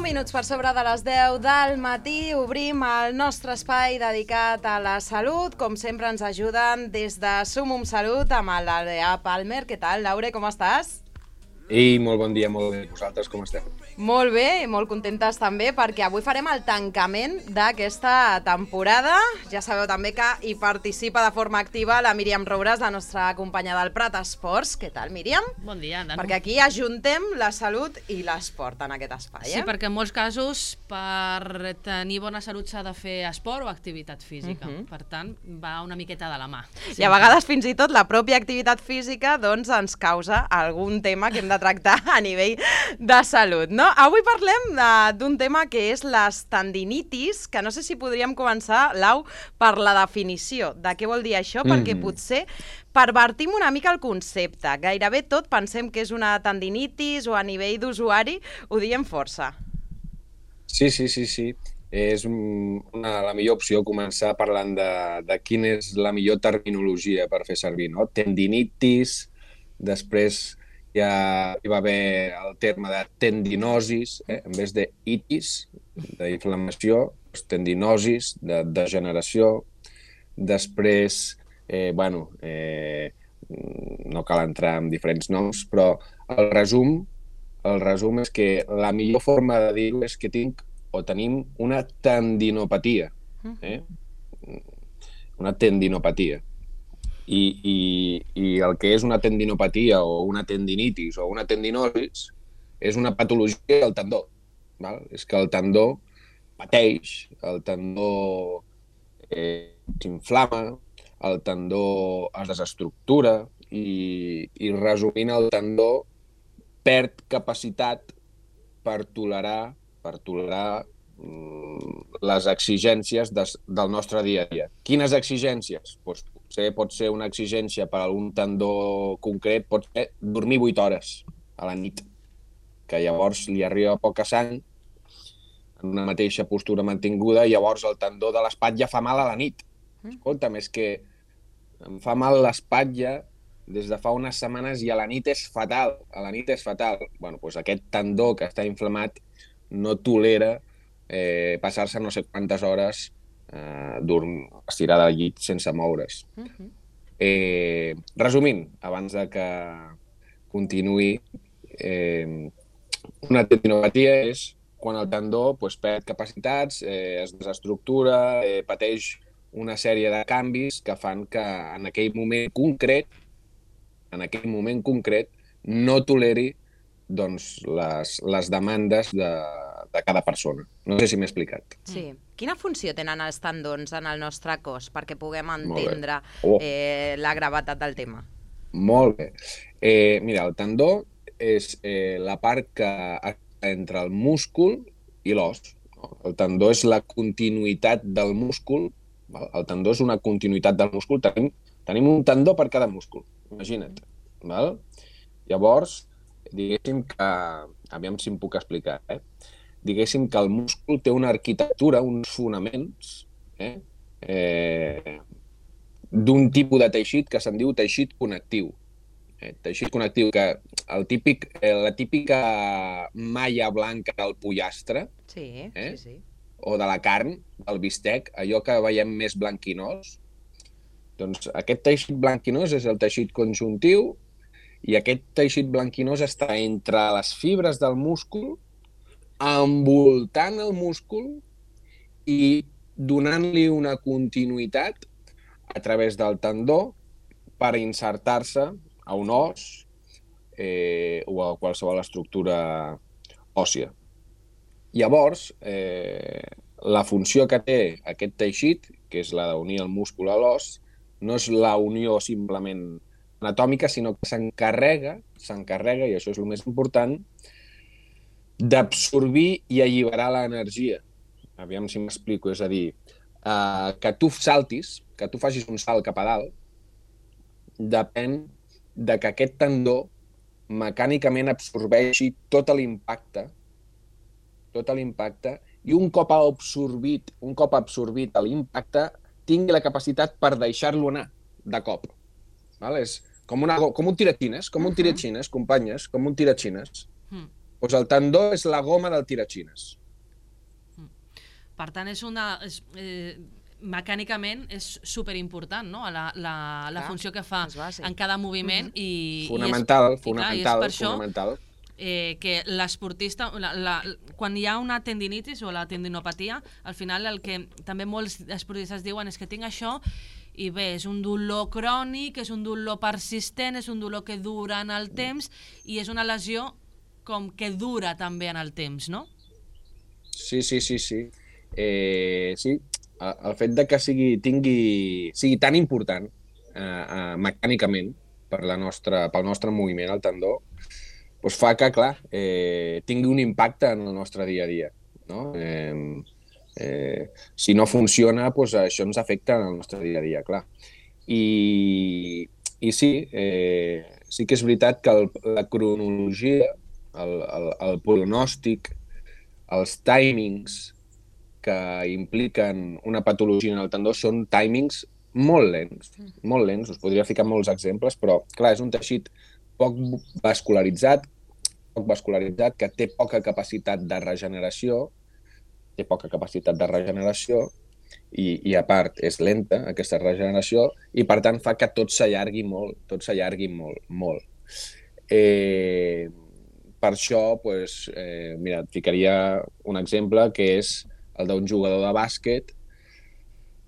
minuts per sobre de les 10 del matí obrim el nostre espai dedicat a la salut. Com sempre ens ajuden des de Sumum Salut amb l'Adrià Palmer. Què tal, Laure, com estàs? Ei, molt bon dia, molt bé. Vosaltres com esteu? Molt bé i molt contentes també perquè avui farem el tancament d'aquesta temporada. Ja sabeu també que hi participa de forma activa la Míriam Roures, la nostra companya del Prat Esports. Què tal, Míriam? Bon dia, Danu. Perquè aquí ajuntem la salut i l'esport en aquest espai. Sí, perquè en molts casos per tenir bona salut s'ha de fer esport o activitat física. Per tant, va una miqueta de la mà. Sí. I a vegades fins i tot la pròpia activitat física doncs, ens causa algun tema que hem de tractar a nivell de salut, no? Avui parlem d'un tema que és les tendinitis, que no sé si podríem començar, Lau, per la definició de què vol dir això, perquè potser pervertim una mica el concepte. Gairebé tot pensem que és una tendinitis o a nivell d'usuari ho diem força. Sí. És la millor opció començar parlant de quina és la millor terminologia per fer servir, no? Tendinitis, després ja hi va haver el terme de tendinosis, en vez de itis, d'inflamació, tendinosis, de degeneració. Després, no cal entrar en diferents noms, però el resum és que la millor forma de dir-ho és que tenim una tendinopatia. Una tendinopatia. I el que és una tendinopatia o una tendinitis o una tendinosis és una patologia del tendó. Val? És que el tendó pateix, el tendó s'inflama, el tendó es desestructura i resumint, el tendó perd capacitat per tolerar les exigències del nostre dia a dia. Quines exigències? Potser pot ser una exigència per a un tendó concret, pot ser dormir 8 hores a la nit, que llavors li arriba poca sang en una mateixa postura mantinguda i llavors el tendó de l'espatlla fa mal a la nit. Escolta'm, és que em fa mal l'espatlla des de fa unes setmanes i a la nit és fatal. Bueno, doncs aquest tendó que està inflamat no tolera passar-se no sé quantes hores estirada al llit sense moure's. Resumint, abans de que continuï, una tendinopatia és quan el tendó perd capacitats, es desestructura, pateix una sèrie de canvis que fan que en aquell moment concret no toleri doncs, les demandes de cada persona. No sé si m'he explicat. Sí. Quina funció tenen els tendons en el nostre cos perquè puguem entendre la gravetat del tema? Molt bé. Mira, el tendó és la part que està entre el múscul i l'os. El tendó és la continuïtat del múscul. El tendó és una continuïtat del múscul. Tenim un tendó per cada múscul, imagina't. Val? Llavors, diguéssim que... Aviam si em puc explicar, diguéssim que el múscul té una arquitectura, uns fonaments, d'un tipus de teixit que se'n diu teixit connectiu. Teixit connectiu, que la típica malla blanca del pollastre, sí. o de la carn, del bistec, allò que veiem més blanquinós, doncs aquest teixit blanquinós és el teixit conjuntiu i aquest teixit blanquinós està entre les fibres del múscul, envoltant el múscul i donant-li una continuïtat a través del tendó per insertar-se a un os o a qualsevol estructura òssia. Llavors, la funció que té aquest teixit, que és la d'unir el múscul a l'os, no és la unió simplement anatòmica, sinó que s'encarrega, i això és el més important, d'absorbir i alliberar l'energia. Aviam si m'explico, és a dir, que tu saltis, que tu facis un salt cap a dalt, depèn de que aquest tendó mecànicament absorbeixi tot l'impacte i un cop absorbit l'impacte tingui la capacitat per deixar-lo anar de cop. És com un tiratxines, companyes, com un tiratxines. Doncs el tendó és la goma del tiratxines. Per tant, mecànicament és superimportant, no? La funció que fa en cada moviment. Fonamental, i és per això que l'esportista, quan hi ha una tendinitis o la tendinopatia, al final el que també molts esportistes diuen és que tinc això i bé, és un dolor crònic, és un dolor persistent, és un dolor que dura en el temps i és una lesió com que dura també en el temps, no? Sí. Sí, el fet de que sigui tan important mecànicament pel nostre moviment, el tendó, doncs fa que, clar, tingui un impacte en el nostre dia a dia, no? Si no funciona, doncs això ens afecta en el nostre dia a dia, clar. I sí, sí que és veritat que la cronologia, el pronòstic, els timings que impliquen una patologia en el tendó són timings molt lents, us podria ficar molts exemples, però clar, és un teixit poc vascularitzat, que té poca capacitat de regeneració, i a part és lenta aquesta regeneració i per tant fa que tot s'allargui molt. Per això, mira, et ficaria un exemple que és el d'un jugador de bàsquet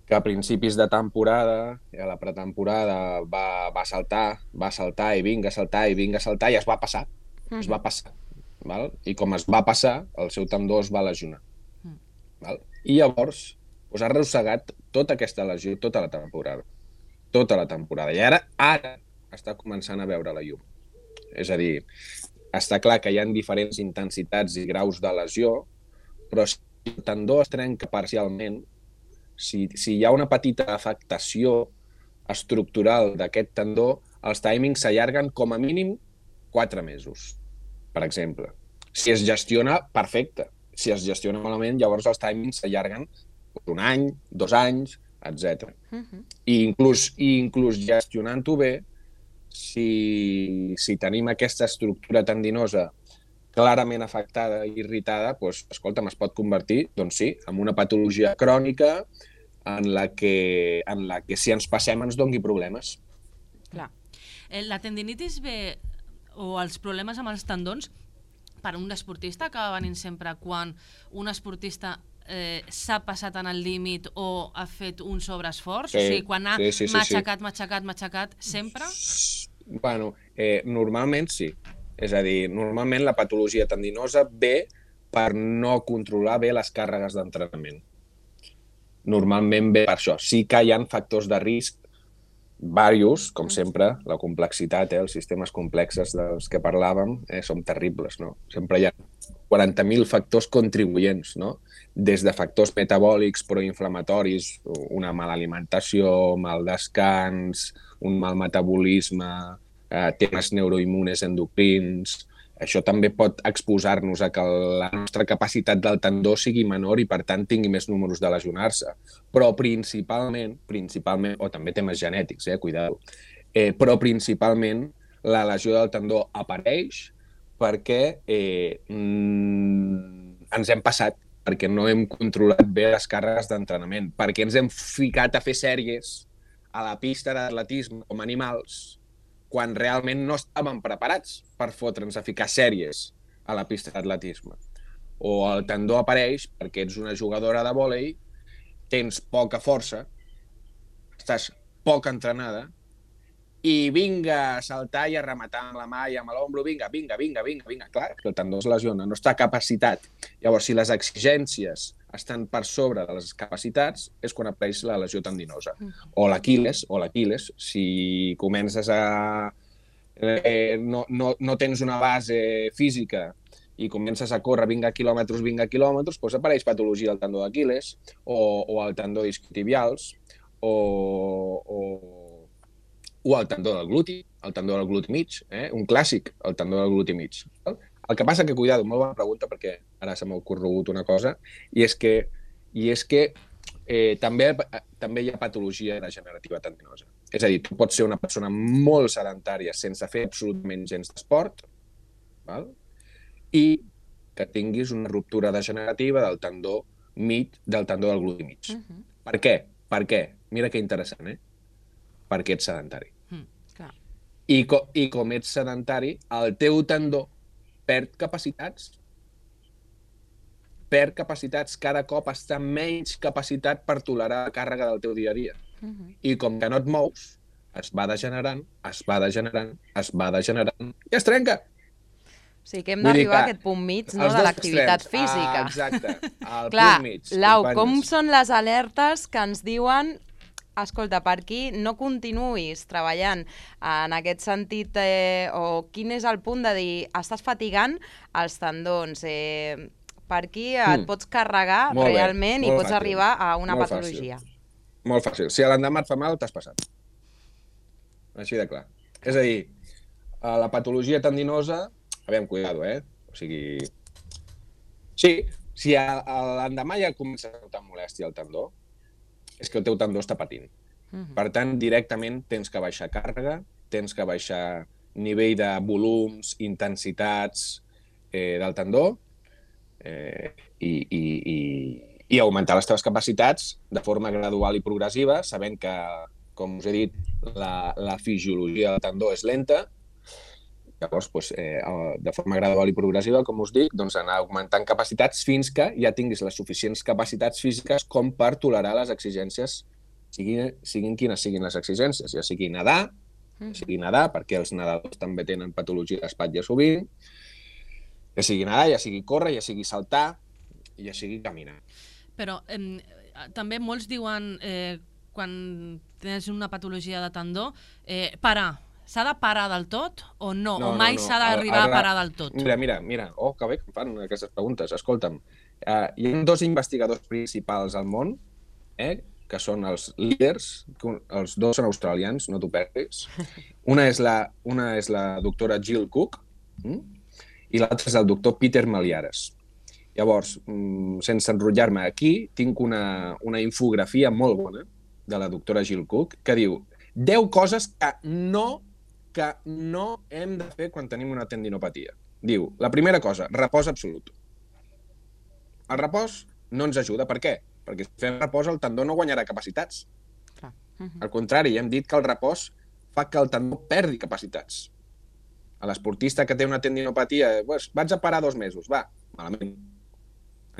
que a principis de temporada, a la pretemporada, va saltar i vinga a saltar i es va passar. Val? I com es va passar, el seu tendó es va lesionar. Val? I llavors ha arrossegat tota aquesta lesió tota la temporada. I ara està començant a veure la llum. És a dir, està clar que hi ha diferents intensitats i graus de lesió, però si el tendó es trenca parcialment, si hi ha una petita afectació estructural d'aquest tendó, els timings s'allarguen com a mínim 4 mesos, per exemple. Si es gestiona, perfecte. Si es gestiona malament, llavors els timings s'allarguen 1 any, 2 anys, etc. I inclús gestionant-ho bé, si tenim aquesta estructura tendinosa clarament afectada i irritada, doncs, escolta'm, es pot convertir, doncs sí, en una patologia crònica en la que si ens passem ens doni problemes. Clar. La tendinitis ve, o els problemes amb els tendons, per un esportista acaba venint sempre quan un esportista s'ha passat en el límit o ha fet un sobreesforç? O sigui, quan ha matxacat, sempre? Bueno, normalment sí. És a dir, normalment la patologia tendinosa ve per no controlar bé les càrregues d'entrenament. Normalment ve per això. Sí que hi ha factors de risc diversos, com sempre, la complexitat, els sistemes complexes dels que parlàvem són terribles, no? Sempre hi ha 40.000 factors contribuents, no? Des de factors metabòlics proinflamatoris, una mala alimentació, mal descans, un mal metabolisme, temes neuroimmunes endocrins. Això també pot exposar-nos a que la nostra capacitat del tendó sigui menor i, per tant, tingui més números de lesionar-se. Però principalment, o també temes genètics, cuidado, però principalment la lesió del tendó apareix perquè ens hem passat, perquè no hem controlat bé les càrregues d'entrenament, perquè ens hem ficat a fer sèries a la pista d'atletisme com animals, quan realment no estàvem preparats per fotre'ns a ficar sèries a la pista d'atletisme. O el tendó apareix perquè ets una jugadora de vòlei, tens poca força, estàs poc entrenada, i vinga a saltar i a rematar amb la mà i amb l'ombro, vinga. Clar, que el tendó es lesiona, no està capacitat. Llavors, si les exigències estan per sobre de les capacitats, és quan apareix la lesió tendinosa. O l'Aquil·les, si comences a... no tens una base física i comences a córrer 20 quilòmetres, doncs apareix patologia del tendó d'Aquil·les o el tendó isquiotibials o el tendó del gluti, mig, un clàssic, el tendó del gluti mig. El que passa que, cuidado, molt bona pregunta, perquè ara se m'ha ocorregut una cosa, i és que també hi ha patologia degenerativa tendinosa. És a dir, tu pots ser una persona molt sedentària sense fer absolutament gens d'esport, val? I que tinguis una ruptura degenerativa del tendó del gludi mig. Per què? Per què? Mira que interessant, Perquè ets sedentari. Clar. I com ets sedentari, el teu tendó perd capacitats. Cada cop està menys capacitat per tolerar la càrrega del teu dia a dia. I com que no et mous, es va degenerant i es trenca. O sigui que hem d'arribar a aquest punt mig, no?, de l'activitat física. Exacte, al Clar, punt mig. Lau, companyes. com són les alertes que ens diuen escolta, per aquí no continuïs treballant en aquest sentit, o quin és el punt de dir estàs fatigant els tendons, per aquí et pots carregar realment i pots arribar a una patologia. Molt fàcil. Si a l'endemà et fa mal, t'has passat. Així de clar. És a dir, la patologia tendinosa, aviam, cuidado, O sigui... Sí, si a l'endemà ja comença a notar molèstia al tendó, és que el teu tendó està patint. Per tant, directament tens que baixar càrrega, tens que baixar nivell de volums, intensitats del tendó i augmentar les teves capacitats de forma gradual i progressiva, sabent que, com us he dit, la fisiologia del tendó és lenta. Llavors, de forma gradual i progressiva, com us dic, anar augmentant capacitats fins que ja tinguis les suficients capacitats físiques com per tolerar les exigències, siguin quines siguin les exigències, ja sigui nedar, perquè els nedadors també tenen patologia d'espatlla sovint, ja sigui nedar, ja sigui córrer, ja sigui saltar, ja sigui caminar. Però també molts diuen, quan tens una patologia de tendó, parar. S'ha de parar del tot o no? O mai s'ha d'arribar a parar del tot? Mira, que bé que em fan aquestes preguntes. Escolta'm, hi ha 2 investigadors principals al món, que són els líders, els 2 són australians, no t'ho perdis. Una és la doctora Jill Cook i l'altra és el doctor Peter Malliaras. Llavors, sense enrotllar-me aquí, tinc una infografia molt bona de la doctora Jill Cook que diu 10 coses que no hem de fer quan tenim una tendinopatia. Diu, la primera cosa, repòs absolut. El repòs no ens ajuda. Per què? Perquè si fem repòs el tendó no guanyarà capacitats. Al contrari, ja hem dit que el repòs fa que el tendó perdi capacitats. A l'esportista que té una tendinopatia, vaig a parar 2 mesos, va, malament.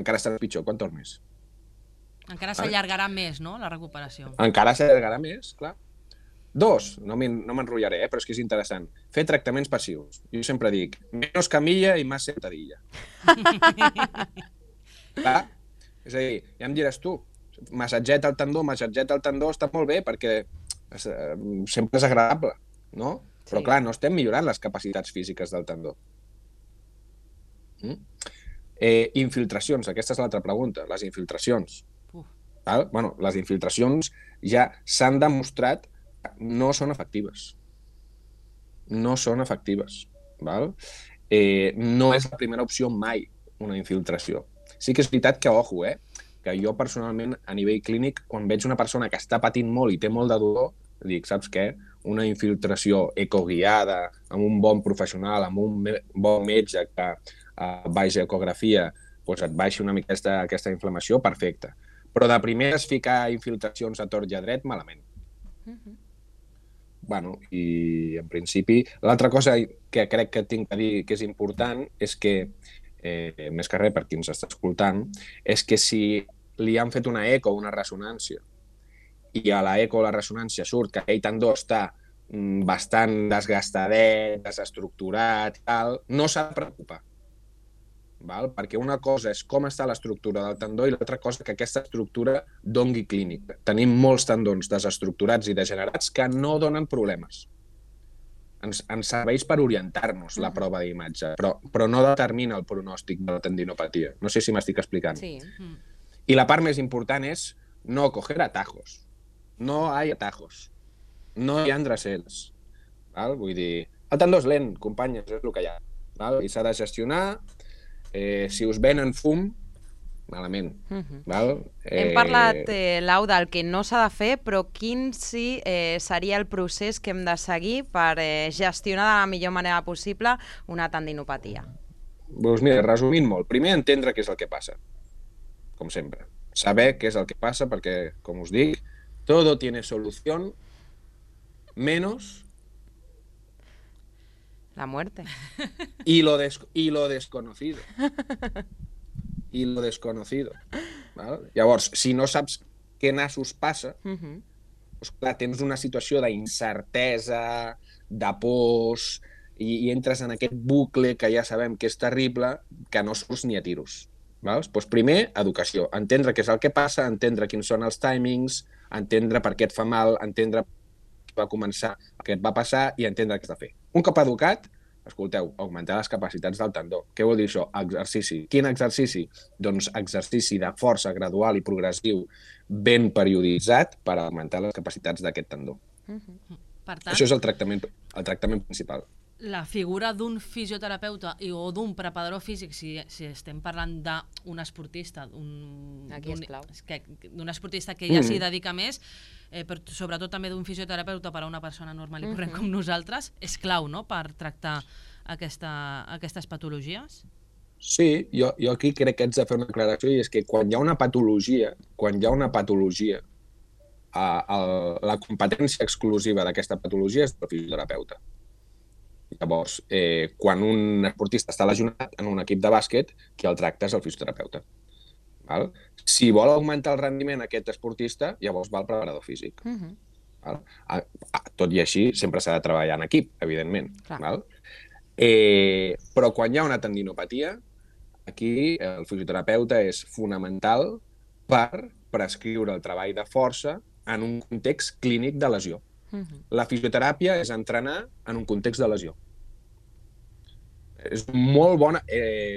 Encara estarà pitjor, quan tornis? Encara s'allargarà més, no?, la recuperació. Encara s'allargarà més, clar. 2, no m'enrotllaré, però és que és interessant. Fer tractaments passius. Jo sempre dic, menos camilla i més sentadilla. Clar? És a dir, ja em diràs tu, massatgeta el tendó està molt bé perquè sempre és agradable, no? Però clar, no estem millorant les capacitats físiques del tendó. Infiltracions, aquesta és l'altra pregunta, les infiltracions. Bueno, les infiltracions ja s'han demostrat que no són efectives. No són efectives. No és la primera opció mai, una infiltració. Sí que és veritat que, ojo, que jo personalment, a nivell clínic, quan veig una persona que està patint molt i té molt de dolor, dic, saps què? Una infiltració ecoguiada, amb un bon professional, amb un bon metge que baix ecografia et baixi una mica aquesta inflamació, perfecte. Però de primeres ficar infiltracions a tort i a dret, malament. Bueno, i en principi, l'altra cosa que crec que tinc que dir que és important és que, més que res per qui ens està escoltant, és que si li han fet una eco o una ressonància i a la eco o la ressonància surt que aquell tendó està bastant desgastadet, desestructurat i tal, no s'ha de preocupar. Perquè una cosa és com està l'estructura del tendó i l'altra cosa que aquesta estructura doni clínica. Tenim molts tendons desestructurats i degenerats que no donen problemes. Ens serveix per orientar-nos la prova d'imatge, però no determina el pronòstic de la tendinopatia. No sé si m'estic explicant. Sí. I la part més important és no coger atajos. No hay atajos. No hi ha endrecels. Vull dir, el tendó és lent, companyes, és el que hi ha. I s'ha de gestionar. Si us venen fum, malament. Hem parlat, Lau, del que no s'ha de fer, però quin sí seria el procés que hem de seguir per gestionar de la millor manera possible una tendinopatia? Doncs mira, resumint molt, primer entendre què és el que passa, com sempre. Saber què és el que passa perquè, com us dic, todo tiene solución menos La muerte. y lo desconocido. I lo desconocido. Val? Llavors, si no saps què nassos passa, doncs, clar, tens una situació d'incertesa, de pors, i entres en aquest bucle que ja sabem que és terrible, que no surts ni a tiros. Val? Doncs primer, educació. Entendre què és el que passa, entendre quins són els timings, entendre per què et fa mal, entendre va començar, què et va passar i entendre què has de fer. Un cop educat, escolteu, augmentar les capacitats del tendó. Què vol dir això? Exercici. Quin exercici? Doncs exercici de força gradual i progressiu ben perioditzat per augmentar les capacitats d'aquest tendó. Per tant, Això és el tractament principal. la figura d'un fisioterapeuta o d'un preparador físic, si estem parlant d'un esportista, Aquí és clau. d'un esportista que ja s'hi dedica més, però sobretot també d'un fisioterapeuta per a una persona normal i corrent com nosaltres, és clau, no?, per tractar aquestes patologies? Sí, jo aquí crec que haig de fer una aclaració i és que quan hi ha una patologia, la competència exclusiva d'aquesta patologia és del fisioterapeuta. Llavors, quan un esportista està lesionat en un equip de bàsquet, qui el tracta és el fisioterapeuta. Val? Si vol augmentar el rendiment aquest esportista, llavors va al preparador físic. Val? Tot i així, sempre s'ha de treballar en equip, evidentment. Val? Però quan hi ha una tendinopatia, aquí el fisioterapeuta és fonamental per prescriure el treball de força en un context clínic de lesió. La fisioteràpia és entrenar en un context de lesió. És molt bona,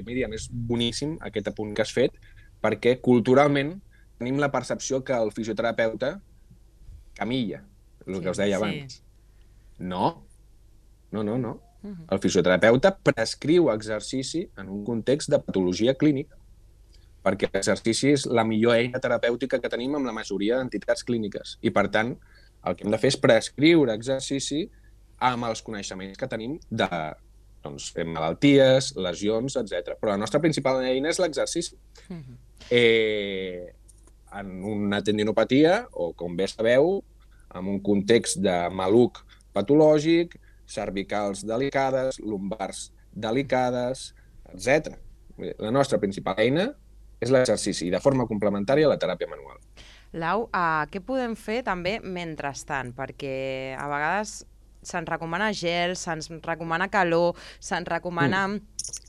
Míriam, és boníssim aquest apunt que has fet, perquè culturalment tenim la percepció que el fisioterapeuta camilla, el que us deia abans. No. El fisioterapeuta prescriu exercici en un context de patologia clínica, perquè l'exercici és la millor eina terapèutica que tenim amb la majoria d'entitats clíniques. I, per tant, el que hem de fer és prescriure exercici amb els coneixements que tenim de malalties, lesions, etc. Però la nostra principal eina és l'exercici. En una tendinopatia, o com bé sabeu, en un context de maluc patològic, cervicals delicades, lumbars delicades, etc. La nostra principal eina és l'exercici i de forma complementària la teràpia manual. Lau, què podem fer també mentrestant? Perquè a vegades se'ns recomana gel, se'ns recomana calor, se'ns recomana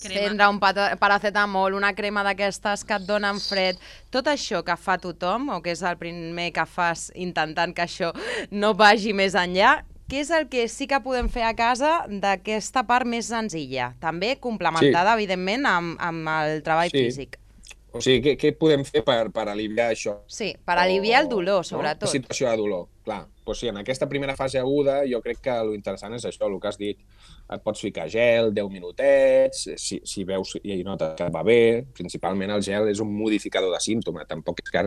prendre un paracetamol, una crema d'aquestes que et donen fred. Tot això que fa tothom, o que és el primer que fas intentant que això no vagi més enllà, què és el que sí que podem fer a casa d'aquesta part més senzilla? També complementada, evidentment, amb el treball físic. O sigui, què podem fer per aliviar això? Sí, per aliviar el dolor, sobretot. La situació de dolor, clar. Doncs sí, en aquesta primera fase aguda jo crec que l'interessant és això, el que has dit. Et pots ficar gel, 10 minutets, si veus i notes que va bé. Principalment el gel és un modificador de símptoma, tampoc és que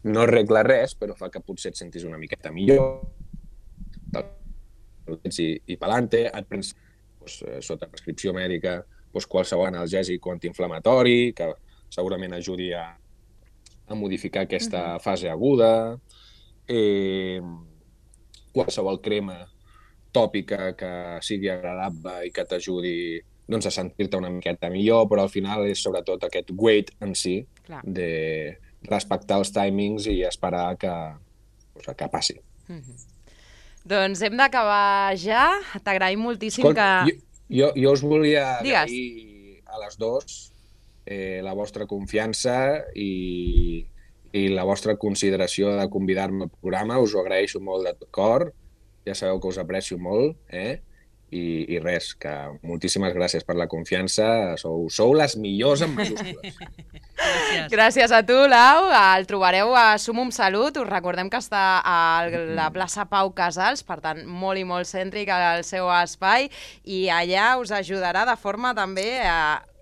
no arregla res, però fa que potser et sentis una miqueta millor. I pelante, et prens sota prescripció mèdica qualsevol analgèsic o antiinflamatori, que segurament ajudi a modificar aquesta fase aguda, qualsevol crema tòpica que sigui agradable i que t'ajudi a sentir-te una miqueta millor, però al final és sobretot aquest wait en si, de respectar els timings i esperar que passi. Doncs hem d'acabar ja. T'agraïm moltíssim que... Jo us volia agrair a les dues la vostra confiança i la vostra consideració de convidar-me al programa. Us ho agraeixo molt de tot cor. Ja sabeu que us aprecio molt, i res, que moltíssimes gràcies per la confiança. Sou les millors en majúscules. Gràcies a tu, Lau. El trobareu a Sumum Salut. Us recordem que està a la plaça Pau Casals, per tant, molt i molt cèntric al seu espai, i allà us ajudarà de forma també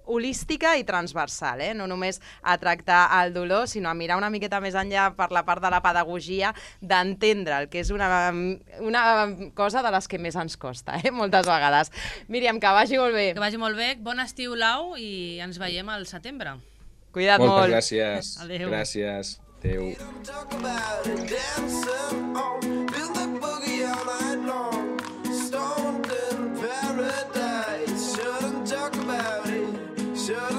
holística i transversal, no només a tractar el dolor, sinó a mirar una miqueta més enllà per la part de la pedagogia, d'entendre el que és una cosa de les que més ens costa, moltes vegades. Míriam, que vagi molt bé. Que vagi molt bé, bon estiu, Lau, i ens veiem al setembre. Cuida't molt. Moltes gràcies. Adéu. Gràcies. Adéu. Stoned in paradise, shouldn't talk about it, shouldn't